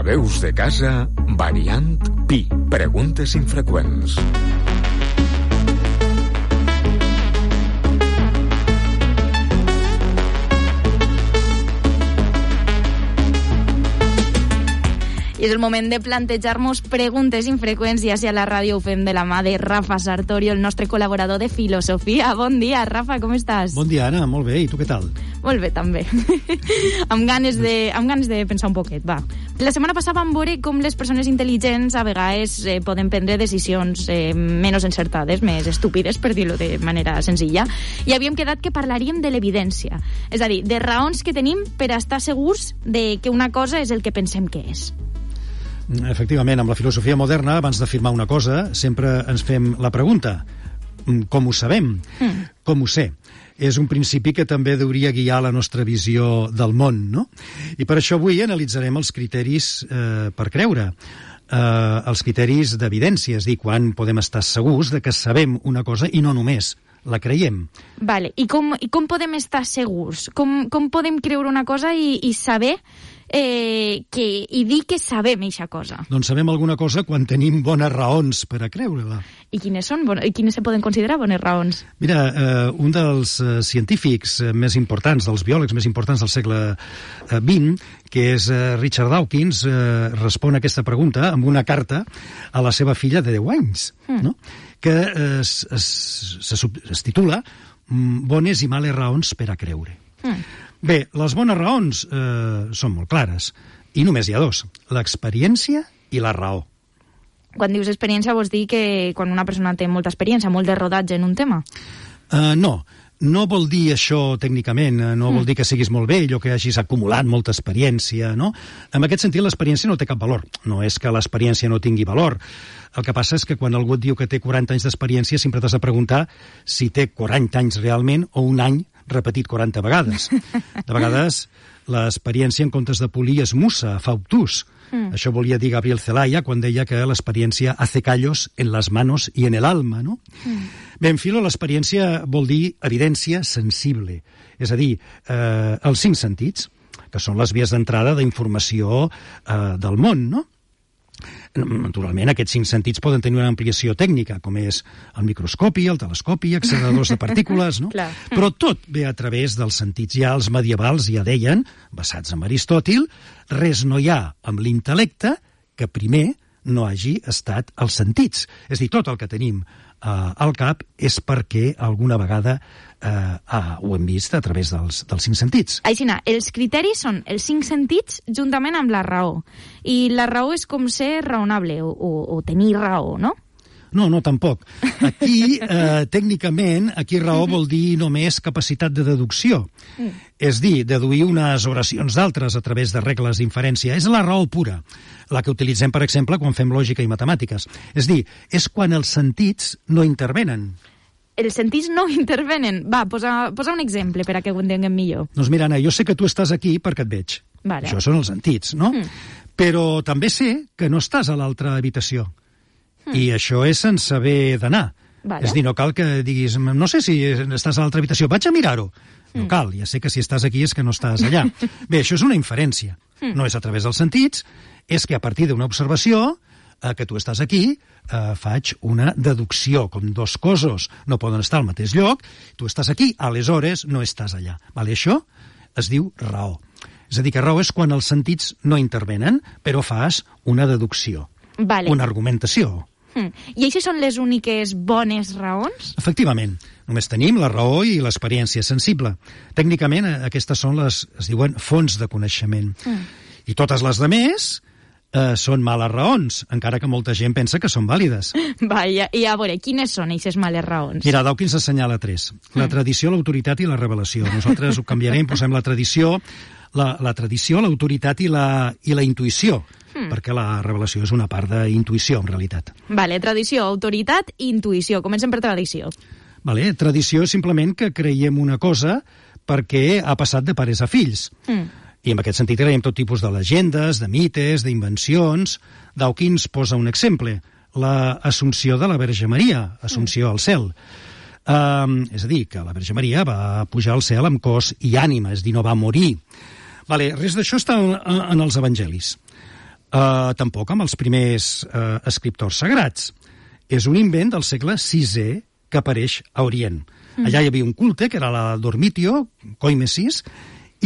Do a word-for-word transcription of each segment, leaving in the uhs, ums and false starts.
Veus de casa, variant Pi. Preguntes infreqüents. I és el moment de plantejar-nos preguntes infreqüents, ja si a la ràdio ho fem de la mà de Rafa Sartorio, el nostre col·laborador de filosofia. Bon dia, Rafa, com estàs? Bon dia, Anna, molt bé. I tu què tal? Molt bé, també. amb, ganes de, amb ganes de pensar un poquet, va. La setmana passada vam veure com les persones intel·ligents a vegades eh, poden prendre decisions eh, menys encertades, més estúpides, per dir-ho de manera senzilla, i havíem quedat que parlaríem de l'evidència. És a dir, de raons que tenim per estar segurs de que una cosa és el que pensem que és. Efectivament, amb la filosofia moderna, abans d'afirmar una cosa, sempre ens fem la pregunta: com ho sabem? Mm. Com ho sé? És un principi que també hauria guiar la nostra visió del món, no? I per això avui analitzarem els criteris eh, per creure, eh, els criteris d'evidència, és a dir, quan podem estar segurs de que sabem una cosa i no només la creiem. Vale. I com, i com podem estar segurs? Com, com podem creure una cosa i, i saber eh, que, i dir que sabem eixa cosa? Doncs sabem alguna cosa quan tenim bones raons per a creure-la. I quines són? I quines se poden considerar bones raons? Mira, eh, un dels eh, científics més importants, dels biòlegs més importants del segle vint, que és eh, Richard Dawkins, eh, respon a aquesta pregunta amb una carta a la seva filla de deu anys, mm. no? que eh, es, es, es, es titula Bones i males raons per a creure. Mm. Bé, les bones raons eh, són molt clares, i només hi ha dos: l'experiència i la raó. Quan dius experiència vols dir que quan una persona té molta experiència, molt de rodatge en un tema? Uh, no, no vol dir això tècnicament, no mm. vol dir que siguis molt vell o que hagis acumulat molta experiència, no? En aquest sentit, l'experiència no té cap valor. No és que l'experiència no tingui valor. El que passa és que quan algú et diu que té quaranta anys d'experiència, sempre t'has de preguntar si té quaranta anys realment o un any repetit quaranta vegades. De vegades, l'experiència, en comptes de polir, es mussa, fa obtús. Mm. Això volia dir Gabriel Zelaya quan deia que l'experiència hace callos en las manos y en el alma, no? Mm. Bé, en filo, l'experiència vol dir evidència sensible, és a dir, eh, els cinc sentits, que són les vies d'entrada d'informació eh, del món, no? Naturalment, aquests cinc sentits poden tenir una ampliació tècnica, com és el microscopi, el telescopi, acceleradors de partícules, no? Però tot ve a través dels sentits. Ja els medievals ja deien, basats en Aristòtil, res no hi ha amb l'intel·lecte que primer no hagi estat els sentits. És a dir, tot el que tenim eh, al cap és perquè alguna vegada eh, ah, ho hem vist a través dels, dels cinc sentits. Aixina, els criteris són els cinc sentits juntament amb la raó. I la raó és com ser raonable o, o, o tenir raó, no? No, no, tampoc. Aquí, eh, tècnicament, aquí raó vol dir només capacitat de deducció. Mm. És dir, deduir unes oracions d'altres a través de regles d'inferència. És la raó pura, la que utilitzem, per exemple, quan fem lògica i matemàtiques. És dir, és quan els sentits no intervenen. Els sentits no intervenen? Va, posa, posa un exemple per a que ho entenguem millor. Doncs mira, Anna, jo sé que tu estàs aquí perquè et veig. Vale. Això són els sentits, no? Mm. Però també sé que no estàs a l'altra habitació. I això és sense haver d'anar. Vale. És dir, no cal que diguis, no sé si estàs a l'altra habitació, vaig a mirar-ho. No mm. cal, ja sé que si estàs aquí és que no estàs allà. Bé, això és una inferència. Mm. No és a través dels sentits, és que a partir d'una observació, eh, que tu estàs aquí, eh, faig una deducció, com dos cossos no poden estar al mateix lloc, tu estàs aquí, aleshores no estàs allà. Vale? Això es diu raó. És a dir, que raó és quan els sentits no intervenen, però fas una deducció, vale. Una argumentació. I això són les úniques bones raons? Efectivament. Només tenim la raó i l'experiència sensible. Tècnicament, aquestes són les, es diuen, fonts de coneixement. Mm. I totes les demés eh, són males raons, encara que molta gent pensa que són vàlides. Va, i a, i a veure, quines són aquestes males raons? Mira, Dawkins assenyala tres. La mm. tradició, l'autoritat i la revelació. Nosaltres ho canviarem, posem la tradició, la, la tradició, l'autoritat i la, i la intuïció. Mm. Perquè la revelació és una part d'intuïció, en realitat. Vale, tradició, autoritat i intuïció. Comencem per tradició. Vale, tradició és simplement que creiem una cosa perquè ha passat de pares a fills. Mm. I en aquest sentit creiem tot tipus de llegendes, de mites, d'invencions. Dawkins posa un exemple, l'assumpció de la Verge Maria, assumpció mm. al cel. Um, és a dir, que la Verge Maria va pujar al cel amb cos i ànima, és a dir, no va morir. Vale, res d'això està en, en els evangelis. Uh, tampoc amb els primers uh, escriptors sagrats. És un invent del segle sisè que apareix a Orient. Mm. Allà hi havia un culte, que era la Dormitio, Coimesis,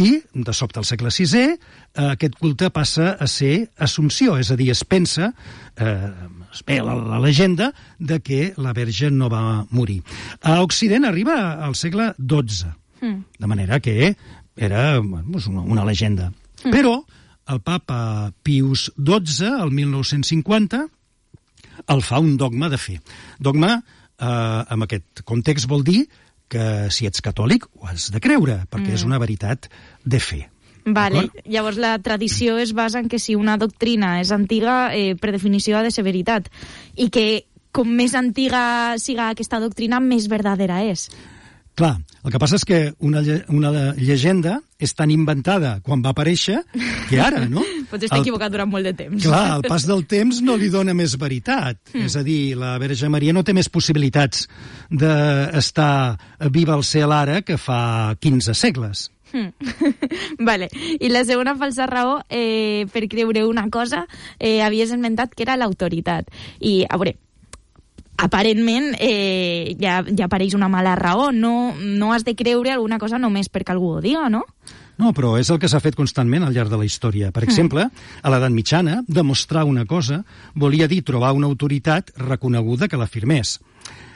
i, de sobte, al segle sisè, eh, aquest culte passa a ser Assumpció, és a dir, es pensa, eh, es ve la, la llegenda, de que la Verge no va morir. A Occident arriba al segle dotze, mm. de manera que era bueno, una, una llegenda. Mm. Però el papa Pius dotze, el mil nou-cents cinquanta, el fa un dogma de fe. Dogma, eh, en aquest context, vol dir que si ets catòlic ho has de creure, perquè mm. és una veritat de fe. Vale. Llavors la tradició es basa en que si una doctrina és antiga, eh, per definició ha de ser veritat, i que com més antiga siga aquesta doctrina, més verdadera és. Clar, el que passa és que una, una llegenda és tan inventada quan va aparèixer que ara, no? Pots estar el, equivocat durant molt de temps. Clar, el pas del temps no li dona més veritat. Mm. És a dir, la Verge Maria no té més possibilitats d'estar viva al cel ara que fa quinze segles. Mm. Vale. I la segona falsa raó, eh, per creure una cosa, eh, havies esmentat que era l'autoritat. I, a veure, aparentment eh, ja, ja apareix una mala raó. No, no has de creure alguna cosa només perquè algú ho diga, no? No, però és el que s'ha fet constantment al llarg de la història. Per exemple, a l'edat mitjana, demostrar una cosa volia dir trobar una autoritat reconeguda que l'afirmés.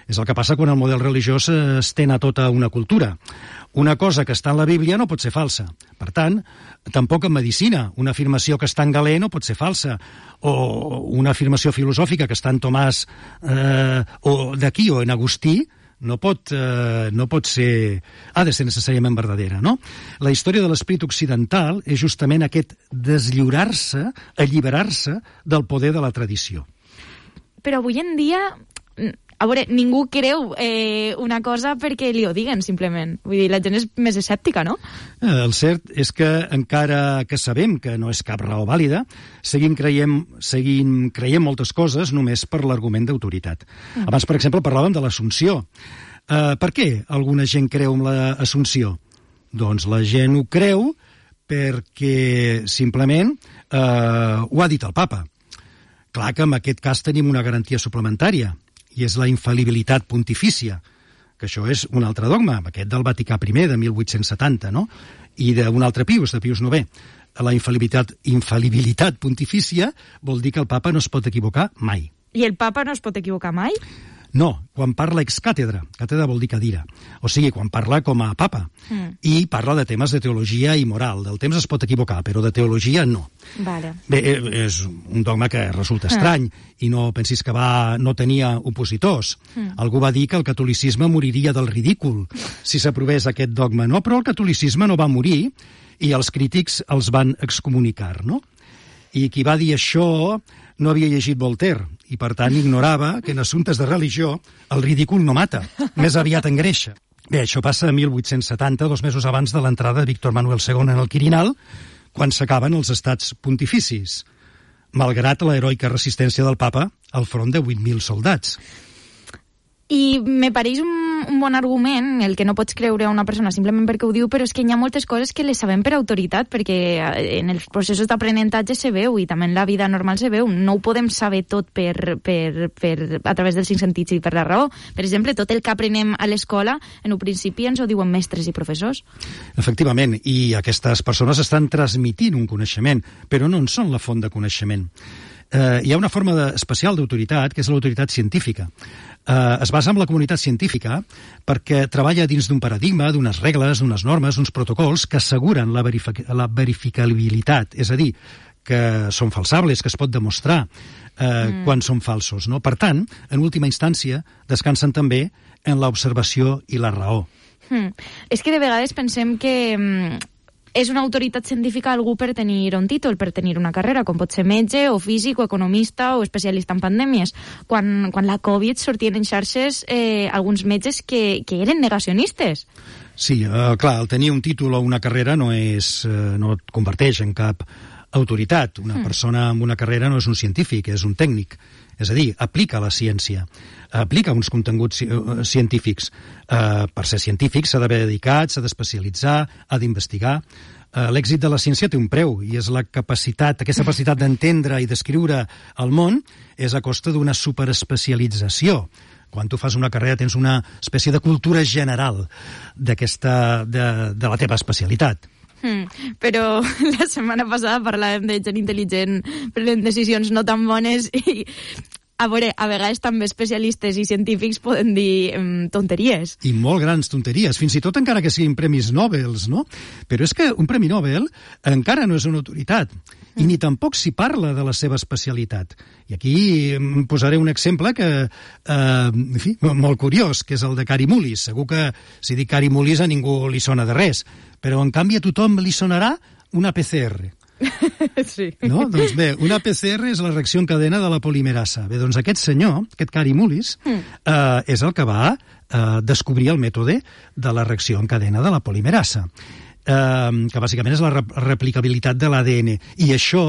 És el que passa quan el model religiós s'estén a tota una cultura. Una cosa que està en la Bíblia no pot ser falsa. Per tant, tampoc en medicina. Una afirmació que està en Galè no pot ser falsa. O una afirmació filosòfica que està en Tomàs eh, o d'aquí o en Agustí no pot, eh, no pot ser... ha de ser necessàriament verdadera, no? La història de l'esperit occidental és justament aquest deslliurar-se, alliberar-se del poder de la tradició. Però avui en dia... A veure, ningú creu eh, una cosa perquè li ho diguen, simplement. Vull dir, la gent és més escèptica, no? El cert és que, encara que sabem que no és cap raó vàlida, seguim creient, seguim creient moltes coses només per l'argument d'autoritat. Mm. Abans, per exemple, parlàvem de l'Assumpció. Uh, per què alguna gent creu en l'Assumpció? Doncs la gent ho creu perquè, simplement, uh, ho ha dit el papa. Clar que en aquest cas tenim una garantia suplementària, i és la infal·libilitat pontifícia, que això és un altre dogma, aquest del Vaticà primer, de mil vuit-cents setanta, no? I d'un altre Pius, de Pius novè. La infal·libilitat, infal·libilitat pontifícia vol dir que el papa no es pot equivocar mai. I el papa no es pot equivocar mai? No, quan parla ex càtedra. Càtedra vol dir cadira. O sigui, quan parla com a papa. Mm. I parla de temes de teologia i moral. Del temps es pot equivocar, però de teologia no. Vale. Bé, és un dogma que resulta estrany, mm. i no pensis que va, no tenia opositors. Mm. Algú va dir que el catolicisme moriria del ridícul si s'aprovés aquest dogma. No, però el catolicisme no va morir i els crítics els van excomunicar, no? I qui va dir això no havia llegit Voltaire, i per tant ignorava que en assumptes de religió el ridícul no mata, més aviat engreixa. Bé, això passa a mil vuit-cents setanta, dos mesos abans de l'entrada de Víctor Manuel segon en el Quirinal, quan s'acaben els estats pontificis, malgrat l'heroica resistència del papa al front de vuit mil soldats. I me pareix un, un bon argument el que no pots creure a una persona simplement perquè ho diu, però és que hi ha moltes coses que les sabem per autoritat, perquè en els processos d'aprenentatge se veu i també en la vida normal se veu. No ho podem saber tot per, per, per, a través dels cinc sentits i per la raó. Per exemple, tot el que aprenem a l'escola, en un principi ens ho diuen mestres i professors. Efectivament, i aquestes persones estan transmitint un coneixement, però no en són la font de coneixement. Eh, hi ha una forma de, especial d'autoritat, que és l'autoritat científica. Eh, es basa en la comunitat científica perquè treballa dins d'un paradigma, d'unes regles, d'unes normes, d'uns protocols que asseguren la, verific la verificabilitat, és a dir, que són falsables, que es pot demostrar eh, mm. quan són falsos, no? Per tant, en última instància, descansen també en l'observació i la raó. Mm. És que de vegades pensem que... Mm, és una autoritat científica algú per tenir un títol, per tenir una carrera, com pot ser metge, o físic, o economista, o especialista en pandèmies. Quan, quan la Covid sortien en xarxes eh, alguns metges que, que eren negacionistes. Sí, eh, clar, el tenir un títol o una carrera no, és, eh, no et converteix en cap autoritat. Una mm. persona amb una carrera no és un científic, és un tècnic. És a dir, aplica la ciència, aplica uns continguts científics. Uh, per ser científic s'ha d'haver dedicat, s'ha d'especialitzar, ha d'investigar. eh, l'èxit de la ciència té un preu, i és la capacitat, aquesta capacitat d'entendre i descriure el món és a costa d'una superespecialització. Quan tu fas una carrera tens una espècie de cultura general d'aquesta, de, de la teva especialitat. Hmm, però la setmana passada parlàvem de gent intel·ligent prenent decisions no tan bones i a veure, a vegades també especialistes i científics poden dir um, tonteries. I molt grans tonteries, fins i tot encara que siguin premis Nobel, no? Però és que un premi Nobel encara no és una autoritat, i ni tampoc s'hi parla de la seva especialitat. I aquí posaré un exemple que, eh, en fi, molt curiós, que és el de Kary Mullis. Segur que si dic Kary Mullis a ningú li sona de res, però en canvi a tothom li sonarà una P C R. Sí. No? Doncs bé, una P C R és la reacció en cadena de la polimerasa. Bé, doncs aquest senyor, aquest Kary Mullis, mm. eh, és el que va eh, descobrir el mètode de la reacció en cadena de la polimerasa, eh, que bàsicament és la rep replicabilitat de l'A D N. I això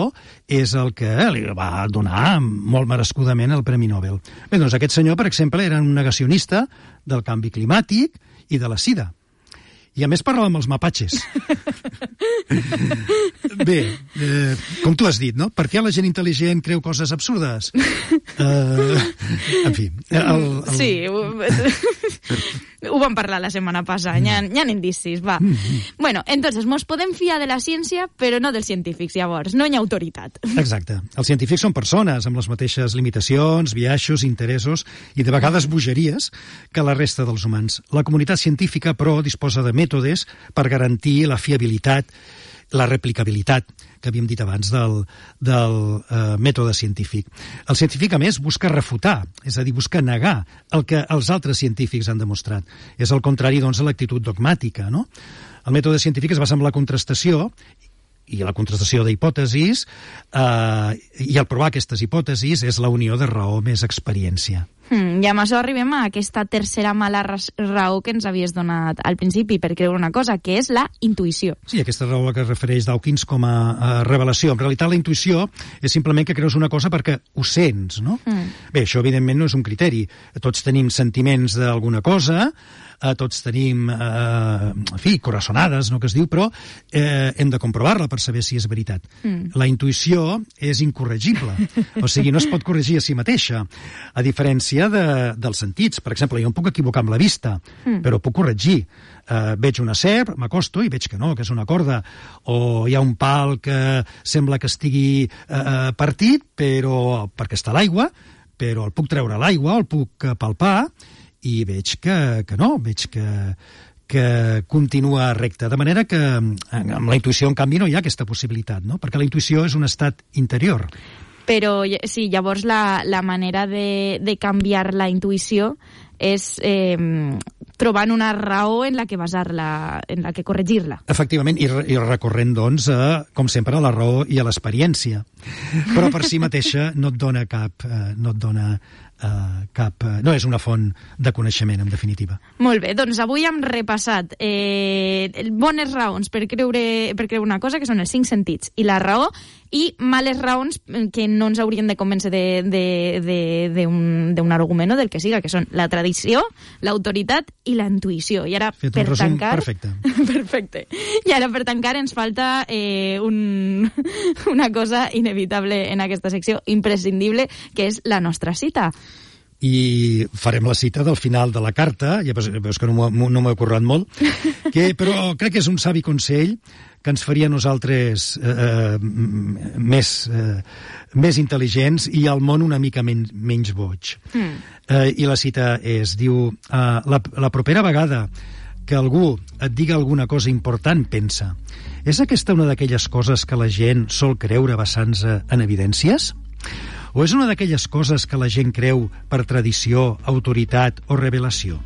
és el que li va donar molt merescudament el Premi Nobel. Bé, doncs aquest senyor, per exemple, era un negacionista del canvi climàtic i de la sida. I a més parlava amb els mapatges. Bé, eh, com tu has dit, no? Per què la gent intel·ligent creu coses absurdes? Eh, en fi. El, el... Sí, ho, ho vam parlar la setmana passada, n'hi ha, hi ha indicis, va. Bueno, entonces, mos podem fiar de la ciència, però no dels científics, llavors, no hi ha autoritat. Exacte. Els científics són persones amb les mateixes limitacions, biaixos, interessos i de vegades bogeries que la resta dels humans. La comunitat científica, però, disposa de mètodes per garantir la fiabilitat, la replicabilitat, que havíem dit abans, del, del eh, mètode científic. El científic, a més, busca refutar, és a dir, busca negar el que els altres científics han demostrat. És el contrari, doncs, a l'actitud dogmàtica, no? El mètode científic es basa en la contrastació i la contrastació d'hipòtesis, eh, i al provar aquestes hipòtesis és la unió de raó més experiència. Hmm, I amb això arribem a aquesta tercera mala raó que ens havies donat al principi per creure una cosa, que és la intuïció. Sí, aquesta raó a la que es refereix Dawkins com a, a revelació. En realitat, la intuïció és simplement que creus una cosa perquè ho sents, no? Mm. Bé, això evidentment no és un criteri. Tots tenim sentiments d'alguna cosa, eh, tots tenim, eh, en fi, coraçonades, no que es diu, però eh, hem de comprovar-la per saber si és veritat. Mm. La intuïció és incorregible, o sigui, no es pot corregir a si mateixa, a diferència de, dels sentits. Per exemple, jo em puc equivocar amb la vista, mm. però puc corregir. Uh, veig una serp, m'acosto i veig que no, que és una corda. O hi ha un pal que sembla que estigui uh, partit, però perquè està a l'aigua, però el puc treure a l'aigua, el puc palpar, i veig que, que no, veig que, que continua recte. De manera que amb la intuïció, en canvi, no hi ha aquesta possibilitat, no? Perquè la intuïció és un estat interior. Però sí, llavors la, la manera de, de canviar la intuïció és eh, trobant una raó en la que basar-la, en la que corregir-la. Efectivament, i, i recorrent, doncs, a, com sempre, a la raó i a l'experiència. Però per si mateixa no et dona cap... Eh, no et dona Uh, cap, uh, no és una font de coneixement, en definitiva. Molt bé, doncs avui hem repassat eh, bones raons per creure, per creure una cosa, que són els cinc sentits i la raó, i males raons que no ens haurien de convèncer d'un argument o del que siga, que són la tradició, l'autoritat i la intuïció. I ara, fet per un resum tancar... perfecte. Perfecte. I ara, per tancar, ens falta eh, un, una cosa inevitable en aquesta secció, imprescindible, que és la nostra cita. I farem la cita del final de la carta, ja veus que no m'ho he currat molt, que, però crec que és un savi consell que ens faria a nosaltres eh, més, eh, més intel·ligents i al món una mica men menys boig. Mm. Eh, I la cita és, diu, eh, la, la propera vegada que algú et diga alguna cosa important, pensa, és aquesta una d'aquelles coses que la gent sol creure basant-se en evidències? O és una d'aquelles coses que la gent creu per tradició, autoritat o revelació?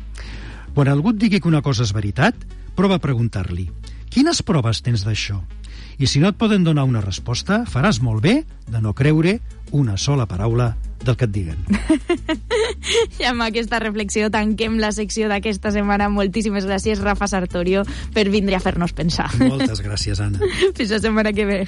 Quan algú et digui que una cosa és veritat, prova a preguntar-li: quines proves tens d'això? I si no et poden donar una resposta, faràs molt bé de no creure una sola paraula del que et diguen. I amb aquesta reflexió tanquem la secció d'aquesta setmana. Moltíssimes gràcies, Rafa Sartorio, per vindre a fer-nos pensar. Moltes gràcies, Anna. Fins la setmana que ve.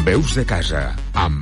Veus de casa, amb